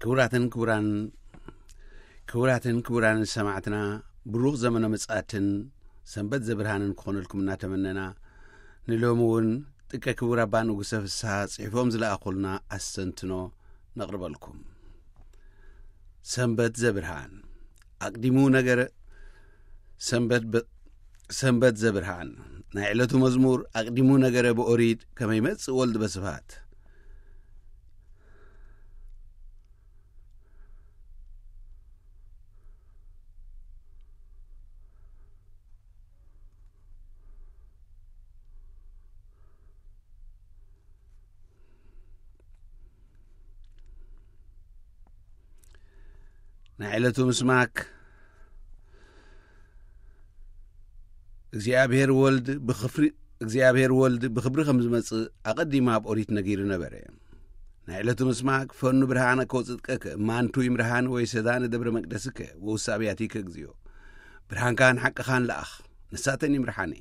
ክቡራትን ክቡራን ክቡራትን ክቡራን ሰማዕትና፣ ብሩኽ ዘመነ ምጽኣትን ሰንበት ዘብርሃንን ክኾነልኩም እናተመነና፣ ንሎሚ እውን ጥቀ ክቡር ኣባ ንጉሰ ፍስሓ ጽሒፎም ዝለኣኹልና ኣስተንትኖ ነቕርበልኩም። ሰንበት ዘብርሃን ኣቕዲሙ ነገረ ሰንበት በ-፣ ሰንበት ዘብርሃን ናይ ዕለቱ መዝሙር ኣቕዲሙ ነገረ ብኦሪት ከመ ይመጽእ ወልድ በስብሐት። ናይ ዕለቱ ምስማክ እግዚኣብሔር ወልድ ብኽፍሪ እግዚኣብሔር ወልድ ብኽብሪ ከም ዝመጽእ ኣቐዲማ ኣብ ኦሪት ነጊሩ ነበረ። ናይ ዕለቱ ምስማክ ፈኑ ብርሃነ ከውጽጥቀ፣ ማንቱ ይምርሃን ወይ ሰዳነ ደብረ መቅደስከ ወውሳብያቲከ እግዚኦ። ብርሃንካን ሓቅኻን ለኣኽ፣ ንሳተን ይምርሓኒ።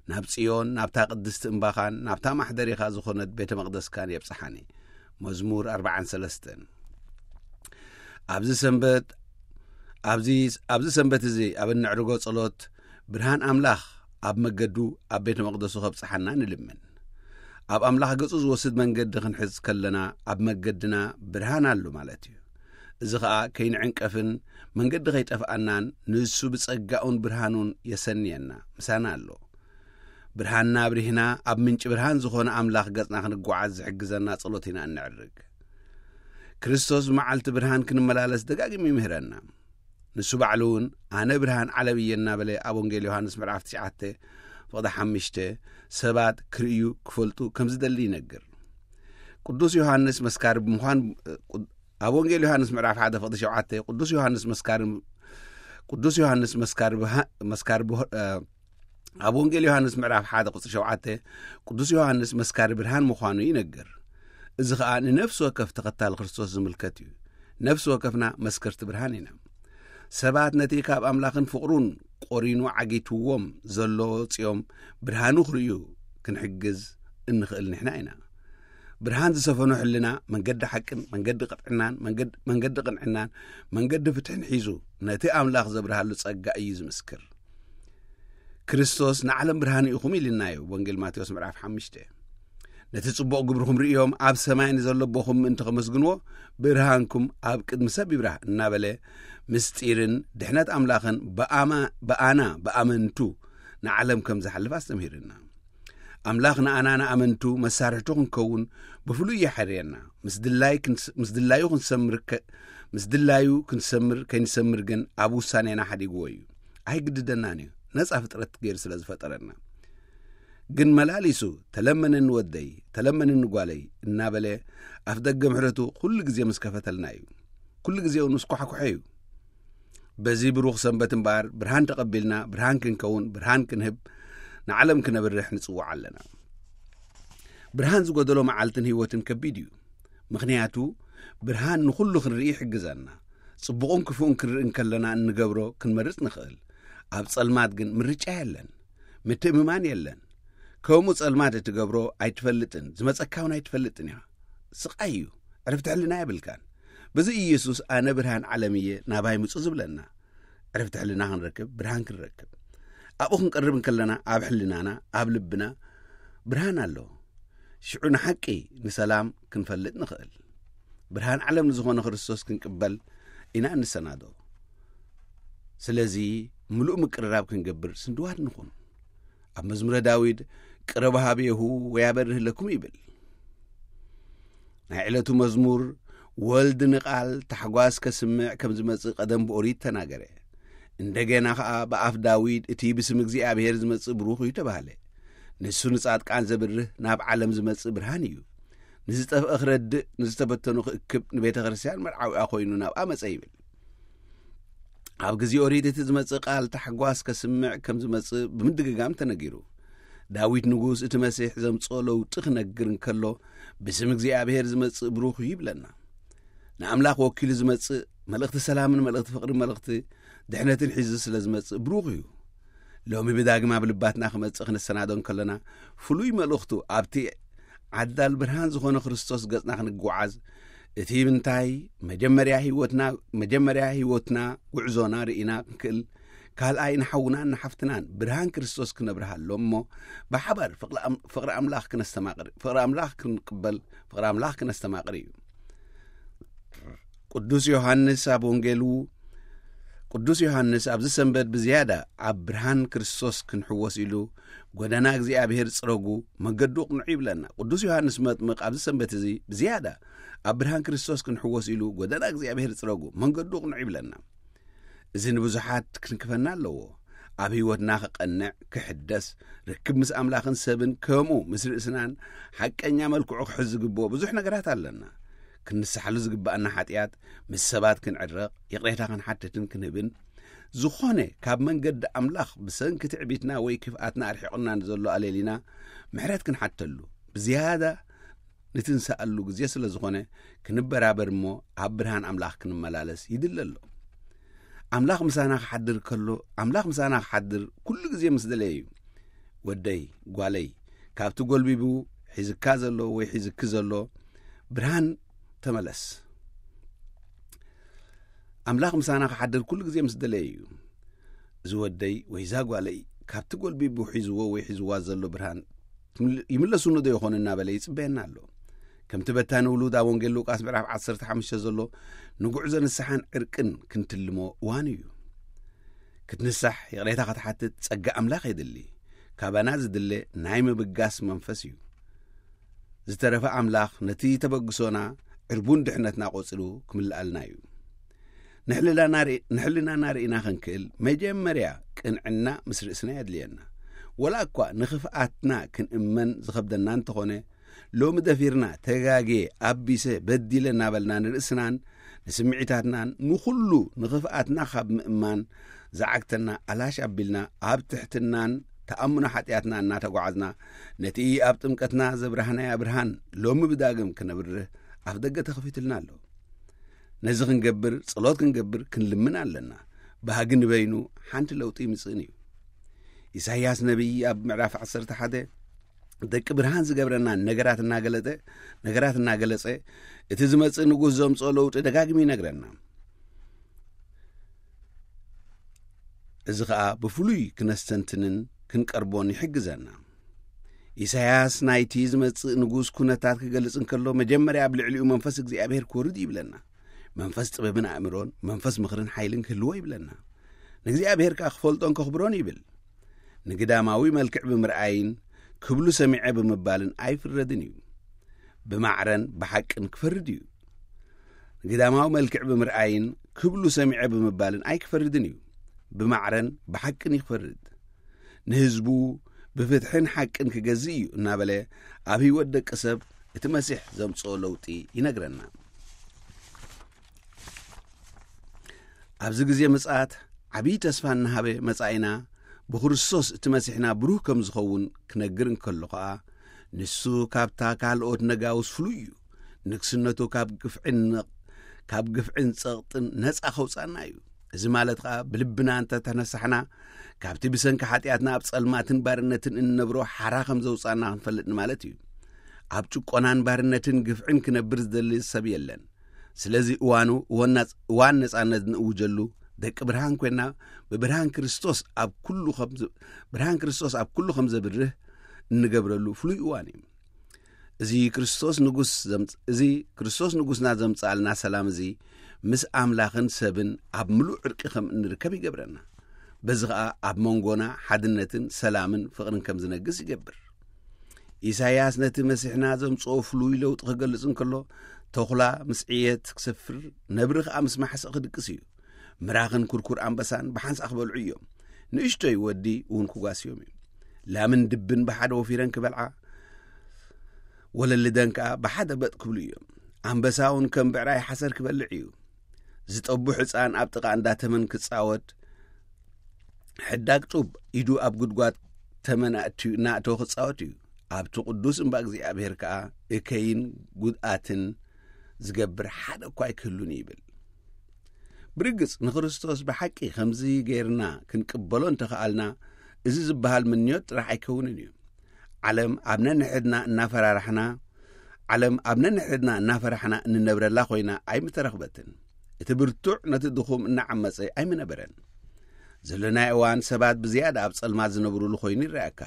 ናብ ጽዮን፣ ናብታ ቅድስቲ እምባኻን ናብታ ማሕደሪኻ ዝኾነት ቤተ መቕደስካን የብጽሓኒ። መዝሙር ኣርባዓን ሰለስተን። ኣብዚ ሰንበት ኣብዚ ኣብዚ ሰንበት እዚ ኣብ እነዕርጎ ጸሎት፣ ብርሃን ኣምላኽ ኣብ መገዱ ኣብ ቤተ መቕደሱ ከብጽሓና ንልምን። ኣብ ኣምላኽ ገጹ ዝወስድ መንገዲ ክንሕዝ ከለና፣ ኣብ መገድና ብርሃን ኣሎ ማለት እዩ። እዚ ኸኣ ከይንዕንቀፍን መንገዲ ከይጠፍኣናን፣ ንሱ ብጸጋኡን ብርሃኑን የሰንየና፣ ምሳና ኣሎ። ብርሃንና ኣብሪህና፣ ኣብ ምንጪ ብርሃን ዝኾነ ኣምላኽ ገጽና ክንጓዓዝ ዝሕግዘና ጸሎት ኢና እንዕርግ። ክርስቶስ ብመዓልቲ ብርሃን ክንመላለስ ደጋጊሙ ይምህረና። ንሱ ባዕሉ እውን፣ "ኣነ ብርሃን ዓለም እየ" እናበለ ኣብ ወንጌል ዮሃንስ ምዕራፍ ትሽዓተ ፍቕዲ ሓሙሽተ ሰባት ክርእዩ ክፈልጡ ከም ዝደሊ ይነግር። ቅዱስ ዮሃንስ መስካሪ ብምዃን፣ ኣብ ወንጌል ዮሃንስ ምዕራፍ ሓደ ፍቕዲ ሸውዓተ፣ ቅዱስ ዮሃንስ መስካሪ ቅዱስ ዮሃንስ መስካሪ ብሃ-፣ መስካሪ ብሆ-፣ እ፣ ኣብ ወንጌል ዮሃንስ ምዕራፍ ሓደ ቁጽሪ ሸውዓተ፣ ቅዱስ ዮሃንስ መስካሪ ብርሃን ምዃኑ ይነግር። እዚ ኸኣ ንነፍሲ ወከፍ ተኸታሊ ክርስቶስ ዝምልከት እዩ። ነፍሲ ወከፍና መስከርቲ ብርሃን ኢና። ሰባት ነቲ ካብ ኣምላኽን ፍቕሩን ቆሪኑ ዓጊትዎም ዘሎ ወጽዮም ብርሃኑ ክርእዩ ክንሕግዝ እንኽእል ንሕና ኢና። ብርሃን ዝሰፈኖ ሕልና መንገዲ ሓቅን መንገዲ ቅጥዕናን መንገድ-፣ መንገዲ ቅንዕናን መንገዲ ፍትሕን ሒዙ ነቲ ኣምላኽ ዘብርሃሉ ጸጋ እዩ ዝምስክር። ክርስቶስ ንዓለም ብርሃን ኢኹም ኢልናዮ፣ ወንጌል ማቴዎስ ምዕራፍ ሓሙሽተ። ነቲ ጽቡቕ ግብርኹም ርእዮም ኣብ ሰማይ ንዘሎ ኣቦኹም ምእንቲ ከመስግንዎ፣ ብርሃንኩም ኣብ ቅድሚ ሰብ ይብራህ እናበለ፣ ምስጢርን ድሕነት ኣምላኽን ብኣማ-፣ ብኣና ብኣመንቱ ንዓለም ከም ዝሓልፍ ኣስተምሂርና። ኣምላኽ ንኣና ንኣመንቱ መሳርሕቱ ክንከውን ብፍሉይ የሐርየና። ምስ ድላይ ክንስ-፣ ምስ ድላዩ ክንሰምር ከ-፣ ምስ ድላዩ ክንሰምር ከይንሰምር ግን ኣብ ውሳኔና ሓዲግዎ እዩ። ኣይግድደናን እዩ፣ ነጻ ፍጥረት ገይሩ ስለ ዝፈጠረና። ግን መላሊሱ፣ "ተለመነኒ ወደይ፣ ተለመነኒ ጓለይ" እናበለ ኣፍ ደገ ምሕረቱ ኩሉ ግዜ ምስ ከፈተልና እዩ። ኩሉ ግዜ እውን ምስ ኳሕኩሐ እዩ። በዚ ብሩኽ ሰንበት እምበኣር፣ ብርሃን ተቐቢልና፣ ብርሃን ክንከውን፣ ብርሃን ክንህብ፣ ንዓለም ክነብርህ ንጽውዕ ኣለና። ብርሃን ዝጎደሎ መዓልትን ህይወትን ከቢድ እዩ። ምኽንያቱ፣ ብርሃን ንኹሉ ክንርኢ ይሕግዘና። ጽቡቕን ክፉእን ክንርኢ እንከለና እንገብሮ ክንመርጽ ንኽእል። ኣብ ጸልማት ግን ምርጫ የለን። ምትእምማን የለን። ከምኡ ጸልማት እትገብሮ ኣይትፈልጥን፣ ዝመጸካ እውን ኣይትፈልጥን ኢኻ። ስቓይ እዩ። ዕረፍቲ ሕልና የብልካን። በዚ ኢየሱስ፣ "ኣነ ብርሃን ዓለም እየ፣ ናባይ ምጹ" ዝብለና። ዕረፍቲ ሕልና ክንረክብ፣ ብርሃን ክንረክብ። ኣብኡ ክንቀርብ እንከለና፣ ኣብ ሕልናና፣ ኣብ ልብና ብርሃን ኣሎ። ሽዑ ንሓቂ፣ ንሰላም ክንፈልጥ ንኽእል። ብርሃን ዓለም ንዝኾነ ክርስቶስ ክንቅበል ኢና እንሰናዶ። ስለዚ፣ ምሉእ ምቅርራብ ክንገብር ስንድዋት ንኹን። ኣብ መዝሙረ ዳዊት፣ "ቅረቡ ሀቤሁ ወያበርህ ለኩም" ይብል። ናይ ዕለቱ መዝሙር፣ ወልድ ንቓል ታሕጓስ ከስምዕ ከም ዝመጽእ ቀደም ብኦሪት ተናገረ። እንደገና ኸኣ ብኣፍ ዳዊት፣ "እቲ ብስም እግዚኣብሔር ዝመጽእ ብሩኽ እዩ" ተባህለ። ንሱ ንጻድቃን ዘብርህ፣ ናብ ዓለም ዝመጽእ ብርሃን እዩ። ንዝጠፍአ ክረድእ፣ ንዝተበተኑ ክእክብ፣ ንቤተ ክርስቲያን መርዓዊኣ ኮይኑ ናብኣ መጸ ይብል። ኣብ ግዜ ኦሪት እቲ ዝመጽእ ቃል ታሕጓስ ከስምዕ ከም ዝመጽእ ብምድግጋም ተነጊሩ። ዳዊት ንጉስ እቲ መሲሕ ዘምጽኦ ለውጢ ክነግር እንከሎ፣ "ብስም እግዚኣብሔር ዝመጽእ ብሩኽ እዩ" ይብለና። ንኣምላኽ ወኪሉ ዝመጽእ፣ መልእኽቲ ሰላምን መልእኽቲ ፍቕርን መልእኽቲ ድሕነትን ሒዙ ስለ ዝመጽእ ብሩኽ እዩ። ሎሚ ብዳግም ኣብ ልባትና ክመጽእ ክንሰናዶ እንከለና፣ ፍሉይ መልእኽቱ ኣብቲ ዓዳል ብርሃን ዝኾነ ክርስቶስ ገጽና ክንጓዓዝ፣ እቲ ምንታይ መጀመርያ ህይወትና፣ መጀመርያ ህይወትና ጉዕዞና ርኢና ክንክእል፣ ካልኣይ ንሓውናን ንሓፍትናን ብርሃን ክርስቶስ ክነብርሃሎም እሞ፣ ብሓባር ፍቕሪ ኣም-፣ ፍቕሪ ኣምላኽ ክነስተማቕር፣ ፍቕሪ ኣምላኽ ክንቅበል፣ ፍቕሪ ኣምላኽ ክነስተማቕር እዩ። ቅዱስ ዮሃንስ ኣብ ወንጌሉ፣ ቅዱስ ዮሃንስ ኣብዚ ሰንበት ብዝያዳ ኣብ ብርሃን ክርስቶስ ክንሕወስ ኢሉ፣ "ጎደና እግዚኣብሔር ጽረጉ፣ መንገዱ ቅኑዕ" ይብለና። ቅዱስ ዮሃንስ መጥምቕ ኣብዚ ሰንበት እዚ ብዝያዳ ኣብ ብርሃን ክርስቶስ ክንሕወስ ኢሉ፣ "ጎደና እግዚኣብሔር ጽረጉ፣ መንገዱ ቅኑዕ" ይብለና። እዚ ንብዙሓት ክንክፈና ኣለዎ። ኣብ ህይወትና ክቐንዕ፣ ክሕደስ፣ ርክብ ምስ ኣምላኽን ሰብን ከምኡ ምስ ርእስናን ሓቀኛ መልክዑ ክሕዝ ዝግብኦ ብዙሕ ነገራት ኣለና። ክንንስሓሉ ዝግብኣና ሓጢኣት፣ ምስ ሰባት ክንዕረቕ፣ ይቕሬታ ክንሓትትን ክንህብን፣ ዝኾነ ካብ መንገዲ ኣምላኽ ብሰንኪ ትዕቢትና ወይ ክፍኣትና ኣርሒቑና ንዘሎ ኣለሊና ምሕረት ክንሓተሉ፣ ብዝያዳ ንትንስኣሉ ግዜ ስለ ዝኾነ፣ ክንበራበር እሞ ኣብ ብርሃን ኣምላኽ ክንመላለስ ይድለ ኣሎ። ኣምላኽ ምሳና ክሓድር ከሎ፣ ኣምላኽ ምሳና ክሓድር ኩሉ ግዜ ምስ ደለየ እዩ። "ወደይ፣ ጓለይ፣ ካብቲ ጎልቢቡ ሒዝካ ዘሎ ወይ ሒዝኪ ዘሎ ብርሃን ተመለስ።" ኣምላኽ ምሳና ክሓድር ኩሉ ግዜ ምስ ደለየ እዩ። "እዚ ወደይ ወይ እዛ ጓለይ ካብቲ ጎልቢቡ ሒዝዎ ወይ ሒዝዋ ዘሎ ብርሃን ትምል-፣ ይምለሱኒ ዶ ይኾኑ?" እናበለ ይጽበየና ኣሎ። ከምቲ በታኒ ውሉድ ኣብ ወንጌል ሉቃስ ምዕራፍ ዓሰርተ ሓሙሽተ ዘሎ፣ ንጉዕዞ ንስሓን ዕርቅን ክንትልሞ እዋን እዩ። ክትንሳሕ፣ ይቕሬታ ክትሓትት ጸጋ ኣምላኽ የድሊ። ካባና ዝድለ ናይ ምብጋስ መንፈስ እዩ። ዝተረፈ ኣምላኽ ነቲ ተበግሶና ዕርቡን ድሕነትና ቆጺሩ ክምልኣልና እዩ። ንሕልናና ርኢ-፣ ንሕልናና ርኢና ክንክእል መጀመርያ ቅንዕና ምስ ርእስና የድልየና። ወላ እኳ ንኽፍኣትና ክንእመን ዝኸብደና እንተኾነ፣ ሎሚ ደፊርና ተጋግየ፣ ኣቢሰ፣ በዲለ እናበልና ንርእስናን ንስምዒታትናን ንኹሉ ንኽፍኣትና ካብ ምእማን ዝዓግተና ኣላሽ ኣቢልና ኣብ ትሕትናን ተኣምኖ ሓጢኣትና እናተጓዓዝና ነቲ ኣብ ጥምቀትና ዘብራህናያ ብርሃን ሎሚ ብዳግም ክነብርህ ኣፍ ደገ ተኸፊትልና ኣሎ። ነዚ ክንገብር ጸሎት ክንገብር ክንልምን ኣለና። ባህጊ ንበይኑ ሓንቲ ለውጢ ይምጽእን እዩ። ኢሳይያስ ነቢይ ኣብ ምዕራፍ ዓሰርተ ሓደ ደቂ ብርሃን ዝገብረና ነገራት እናገለጠ፣ ነገራት እናገለጸ እቲ ዝመጽእ ንጉስ ዘምጽኦ ለውጢ ደጋጊሙ ይነግረና። እዚ ኸኣ ብፍሉይ ክነስተንትንን ክንቀርቦን ይሕግዘና። ኢሳይያስ ናይቲ ዝመጽእ ንጉስ ኩነታት ክገልጽ እንከሎ፣ መጀመርያ ኣብ ልዕሊኡ መንፈስ እግዚኣብሔር ክወርድ ይብለና። መንፈስ ጥበብን ኣእምሮን፣ መንፈስ ምኽርን ሓይልን ክህልዎ ይብለና። ንእግዚኣብሔር ከኣ ክፈልጦን ከኽብሮን ይብል። ንግዳማዊ መልክዕ ብምርኣይን ክብሉ ሰሚዐ ብምባልን ኣይፍረድን እዩ። ብማዕረን ብሓቅን ክፈርድ እዩ። ንግዳማዊ መልክዕ ብምርኣይን ክብሉ ሰሚዐ ብምባልን ኣይክፈርድን እዩ። ብማዕረን ብሓቅን ይኽፈርድ። ንህዝቡ ብፍትሕን ሓቅን ክገዝእ እዩ እናበለ ኣብ ህይወት ደቂ ሰብ እቲ መሲሕ ዘምጽኦ ለውጢ ይነግረና። ኣብዚ ግዜ ምጽኣት ዓብዪ ተስፋ እናሃበ መጻኢና ብክርስቶስ እቲ መሲሕና ብሩህ ከም ዝኸውን ክነግር እንከሎ ኸኣ፣ ንሱ ካብታ ካልኦት ነጋውስ ፍሉይ እዩ። ንግስነቱ ካብ ግፍዕን ነቕ-፣ ካብ ግፍዕን ጸቕጥን ነጻ ከውጻና እዩ። እዚ ማለት ኸኣ ብልብና እንተ ተነሳሕና፣ ካብቲ ብሰንኪ ሓጢኣትና ኣብ ጸልማትን ባርነትን እንነብሮ ሓራ ከም ዘውጻና ክንፈልጥ ማለት እዩ። ኣብ ጭቆናን ባርነትን ግፍዕን ክነብር ዝደሊ ሰብ የለን። ስለዚ እዋኑ እዋን ናጽ-፣ እዋን ነጻነት ንእውጀሉ፣ ደቂ ብርሃን ኮይና ብብርሃን ክርስቶስ ኣብ ኩሉ ከም ዝ-፣ ብርሃን ክርስቶስ ኣብ ኩሉ ከም ዘብርህ እንገብረሉ ፍሉይ እዋን እዩ። እዚ ክርስቶስ ንጉስ ዘምጽ-፣ እዚ ክርስቶስ ንጉስና ዘምጽኣልና ሰላም እዚ ምስ ኣምላኽን ሰብን ኣብ ምሉእ ዕርቂ ከም እንርከብ ይገብረና። በዚ ኸኣ ኣብ መንጎና ሓድነትን ሰላምን ፍቕርን ከም ዝነግስ ይገብር። ኢሳይያስ ነቲ መሲሕና ዘምጽኦ ፍሉይ ለውጢ ክገልጽ እንከሎ፣ ተኹላ ምስ ዕየት ክሰፍር፣ ነብሪ ኸኣ ምስ ማሕስእ ክድቅስ እዩ። ምራኽን ኩርኩር ኣንበሳን ብሓንሳእ ክበልዑ እዮም። ንእሽቶይ ወዲ እውን ክጓስዮም እዩ። ላምን ድብን ብሓደ ወፊረን ክበልዓ፣ ወለልደን ከኣ ብሓደ በጥ ክብሉ እዮም። ኣንበሳ እውን ከም ብዕራይ ሓሰር ክበልዕ እዩ። ዝጠቡ ሕፃን ኣብ ጥቓ እንዳ ተመን ክጻወት፣ ሕዳግ ጡብ ኢዱ ኣብ ጉድጓድ ተመን ኣእትዩ እናእተወ ክጻወት እዩ። ኣብቲ ቅዱስ እምባ እግዚኣብሔር ከኣ እከይን ጉድኣትን ዝገብር ሓደ እኳ ኣይክህሉን እዩ ይብል። ብርግጽ ንክርስቶስ ብሓቂ ከምዚ ጌርና ክንቅበሎ እንተኸኣልና፣ እዚ ዝበሃል ምንዮት ጥራሕ ኣይከውንን እዩ። ዓለም ኣብ ነንሕድና እናፈራራሕና፣ ዓለም ኣብ ነንሕድና እናፈራሕና እንነብረላ ኮይና ኣይምተረኽበትን። እቲ ብርቱዕ ነቲ ድኹም እናዓመጸ ኣይምነበረን። ዘለናይ እዋን ሰባት ብዝያዳ ኣብ ጸልማት ዝነብሩሉ ኮይኑ ይረኣካ።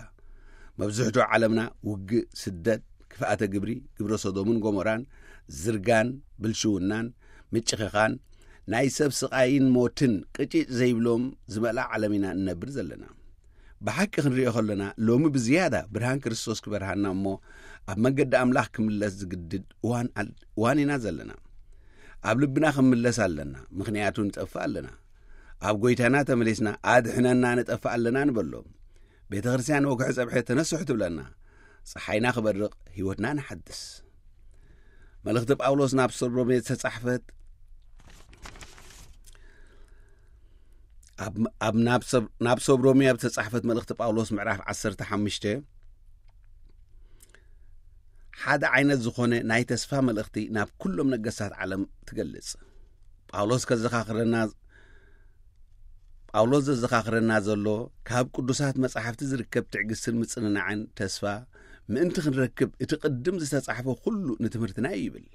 መብዝሕትኡ ዓለምና ውግእ፣ ስደት፣ ክፍኣተ ግብሪ፣ ግብረ ሶዶምን ጎሞራን፣ ዝርጋን፣ ብልሽውናን፣ ምጭኽኻን፣ ናይ ሰብ ስቓይን ሞትን ቅጭጭ ዘይብሎም ዝመልኣ ዓለም ኢና እንነብር ዘለና። ብሓቂ ክንሪኦ ከለና፣ ሎሚ ብዝያዳ ብርሃን ክርስቶስ ክበርሃና እሞ፣ ኣብ መንገዲ ኣምላኽ ክምለስ ዝግድድ እዋን ኣል-፣ እዋን ኢና ዘለና። ኣብ ልብና ክንምለስ ኣለና፣ ምኽንያቱ ንጠፍእ ኣለና። ኣብ ጐይታና ተመሊስና፣ "ኣድሕነና፣ ንጠፍእ ኣለና" ንበሎ። ቤተ ክርስቲያን ወግሐ ጸብሐ ተነስሑ ትብለና። ጸሓይና ክበርቕ፣ ህይወትና ንሓድስ። መልእኽቲ ጳውሎስ ናብ ሰብ ሮሜ ዝተጻሕፈት፣ ኣብ፣ ኣብ ናብ ሰብ፣ ናብ ሰብ ሮሜ ኣብ ዝተጻሕፈት መልእኽቲ ጳውሎስ ምዕራፍ ዓሰርተ ሓሙሽተ ሓደ ዓይነት ዝኾነ ናይ ተስፋ መልእኽቲ ናብ ኩሎም ነገስታት ዓለም ትገልጽ። ጳውሎስ ከዘኻኽረና፣ ጳውሎስ ዘዘኻኽረና ዘሎ ካብ ቅዱሳት መጻሕፍቲ ዝርከብ ትዕግስትን ምጽንናዕን ተስፋ ምእንቲ ክንረክብ እቲ ቅድም ዝተጻሕፈ ኩሉ ንትምህርትና እዩ ይብል።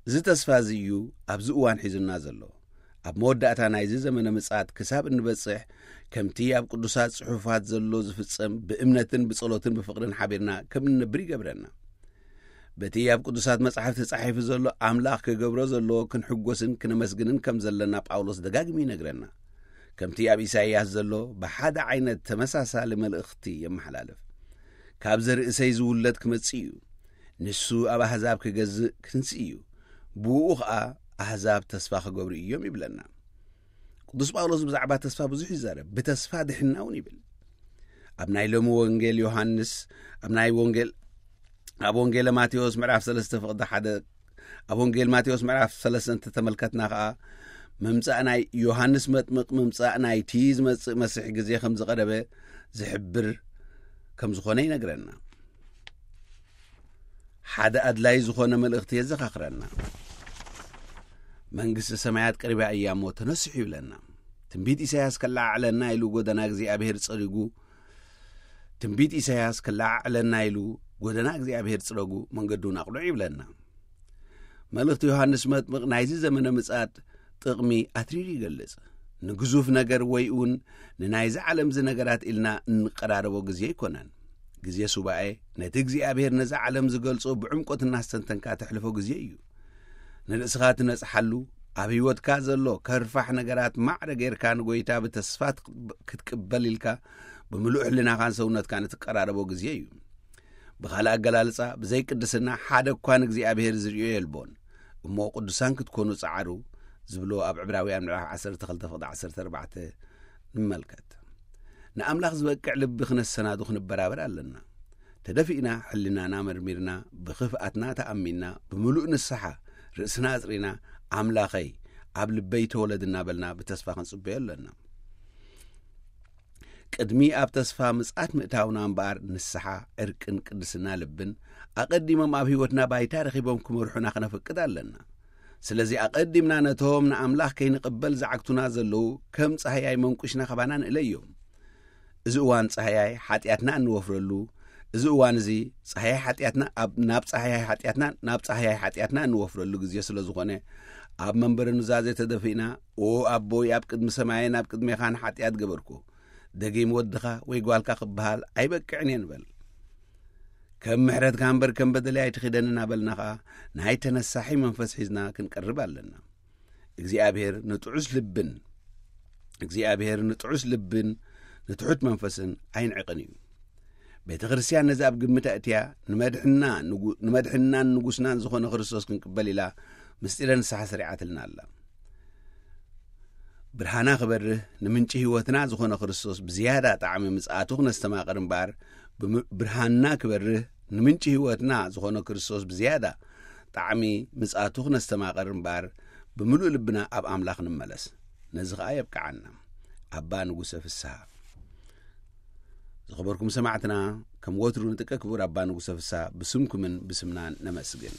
እዚ ተስፋ እዚ እዩ ኣብዚ እዋን ሒዙና ዘሎ። ኣብ መወዳእታ ናይዚ ዘመነ ምጽኣት ክሳብ እንበጽሕ፣ ከምቲ ኣብ ቅዱሳት ጽሑፋት ዘሎ ዝፍጸም፣ ብእምነትን ብጸሎትን ብፍቕርን ሓቢርና ከም እንነብር ይገብረና። በቲ ኣብ ቅዱሳት መጻሕፍቲ ተጻሒፉ ዘሎ፣ ኣምላኽ ክገብሮ ዘለዎ ክንሕጎስን ክነመስግንን ከም ዘለና ጳውሎስ ደጋጊሙ ይነግረና። ከምቲ ኣብ ኢሳይያስ ዘሎ፣ ብሓደ ዓይነት ተመሳሳሊ መልእኽቲ የመሓላልፍ። "ካብ ዘርእሰይ ዝውለድ ክመጽእ እዩ። ንሱ ኣብ ኣህዛብ ክገዝእ ክንስእ እዩ። ብእኡ ኸኣ ኣህዛብ ተስፋ ክገብሩ እዮም" ይብለና። ቅዱስ ጳውሎስ ብዛዕባ ተስፋ ብዙሕ ይዛረብ፣ ብተስፋ ድሕና እውን ይብል። ኣብ ናይ ሎሚ ወንጌል ዮሃንስ፣ ኣብ ናይ ወንጌል፣ ኣብ ወንጌለ ማቴዎስ ምዕራፍ ሰለስተ ፍቕዲ ሓደ፣ ኣብ ወንጌል ማቴዎስ ምዕራፍ ሰለስተ እንተተመልከትና ኸኣ፣ ምምጻእ ናይ ዮሃንስ መጥምቕ፣ ምምጻእ ናይቲ ዝመጽእ መሲሕ ግዜ ከም ዝቐረበ ዝሕብር ከም ዝኾነ ይነግረና። ሓደ ኣድላይ ዝኾነ መልእኽቲ የዘኻኽረና። "መንግስቲ ሰማያት ቀሪባ እያ እሞ ተነስሑ" ይብለና። ትንቢት ኢሳያስ ከለዓዕለና ኢሉ ጎደና እግዚኣብሔር ጸሪጉ፣ ትንቢት ኢሳያስ ከለዓዕለና ኢሉ ጎደና እግዚኣብሔር ጽረጉ፣ መንገዱን ኣቕልዑ ይብለና። መልእኽቲ ዮሃንስ መጥምቕ ናይዚ ዘመነ ምጽኣት ጥቕሚ ኣትሪሩ ይገልጽ። ንግዙፍ ነገር ወይ እውን ንናይዚ ዓለምዚ ነገራት ኢልና እንቀራረቦ ግዜ ኣይኮነን። ግዜ ሱባኤ ነቲ እግዚኣብሔር ነዚ ዓለም ዝገልጾ ብዕምቆት እናስተንተንካ ተሕልፎ ግዜ እዩ። ንርእስኻ ትነጽሓሉ፣ ኣብ ህይወትካ ዘሎ ከርፋሕ ነገራት ማዕረ ጌርካ ንጎይታ ብተስፋ ክትቅበል ኢልካ ብምሉእ ሕልናኻን ሰውነትካን እትቀራረቦ ግዜ እዩ። ብኻልእ ኣገላልጻ፣ ብዘይ ቅድስና ሓደ እኳ ንእግዚኣብሔር ዝርእዮ የልቦን። እሞ ቅዱሳን ክትኮኑ ጸዓሩ ዝብሎ ኣብ ዕብራውያን ምዕራፍ ዓሰርተ ክልተ ፍቕዲ ዓሰርተ ኣርባዕተ ንመልከት። ንኣምላኽ ዝበቅዕ ልቢ ክነሰናዱ ክንበራበር ኣለና። ተደፊእና፣ ሕልናና መርሚርና፣ ብኽፍኣትና ተኣሚንና፣ ብምሉእ ንስሓ ርእስና ኣጽሪና፣ "ኣምላኸይ፣ ኣብ ልበይ ተወለድ" እናበልና ብተስፋ ክንጽበዮ ኣለና። ቅድሚ ኣብ ተስፋ ምጽኣት ምእታውና እምበኣር፣ ንስሓ፣ ዕርቅን ቅድስና ልብን ኣቐዲሞም ኣብ ህይወትና ባይታ ረኺቦም ክመርሑና ክነፍቅድ ኣለና። ስለዚ ኣቐዲምና ነቶም ንኣምላኽ ከይንቕበል ዝዓግቱና ዘለዉ ከም ጻህያይ መንቁሽና ካባና ንእለዮም። እዚ እዋን ጻህያይ ሓጢኣትና እንወፍረሉ፣ እዚ እዋን እዚ ጻህያይ ሓጢኣትና ኣብ፣ ናብ ጻህያይ ሓጢኣትና፣ ናብ ጻህያይ ሓጢኣትና እንወፍረሉ ግዜ ስለ ዝኾነ፣ ኣብ መንበረ ኑዛዜ ተደፊእና፣ "ኦ ኣቦይ፣ ኣብ ቅድሚ ሰማይን ኣብ ቅድሜኻን ሓጢኣት ገበርኩ፣ ደጊም ወድኻ ወይ ጓልካ ክበሃል ኣይበቅዕን እየ" ንበል። "ከም ምሕረትካ እምበር ከም በደለይ ኣይትኺደን" እናበልና ኸኣ፣ ናይ ተነሳሒ መንፈስ ሒዝና ክንቀርብ ኣለና። እግዚኣብሔር ንጥዑስ ልብን፣ እግዚኣብሔር ንጥዑስ ልብን ንትሑት መንፈስን ኣይንዕቕን እዩ። ቤተ ክርስቲያን ነዚ ኣብ ግምት ኣእትያ፣ ንመድሕና ንጉ-፣ ንመድሕናን ንጉስናን ዝኾነ ክርስቶስ ክንቅበል ኢላ ምስጢረ ንስሓ ሰሪዓትልና ኣላ። ብርሃና ክበርህ፣ ንምንጪ ህይወትና ዝኾነ ክርስቶስ ብዝያዳ ጣዕሚ ምጽኣቱ ክነስተማቕር እምበኣር፣ ብም-፣ ብርሃንና ክበርህ፣ ንምንጪ ህይወትና ዝኾነ ክርስቶስ ብዝያዳ ጣዕሚ ምጽኣቱ ክነስተማቕር እምበኣር፣ ብምሉእ ልብና ኣብ ኣምላኽ ንመለስ። ነዚ ኸኣ የብቅዓና። ኣባ ንጉሰ ፍስሃ። ዝኸበርኩም ሰማዕትና፣ ከም ወትሩ ንጥቀ ክቡር ኣባ ንጉሰ ፍስሃ ብስምኩምን ብስምናን ነመስግን።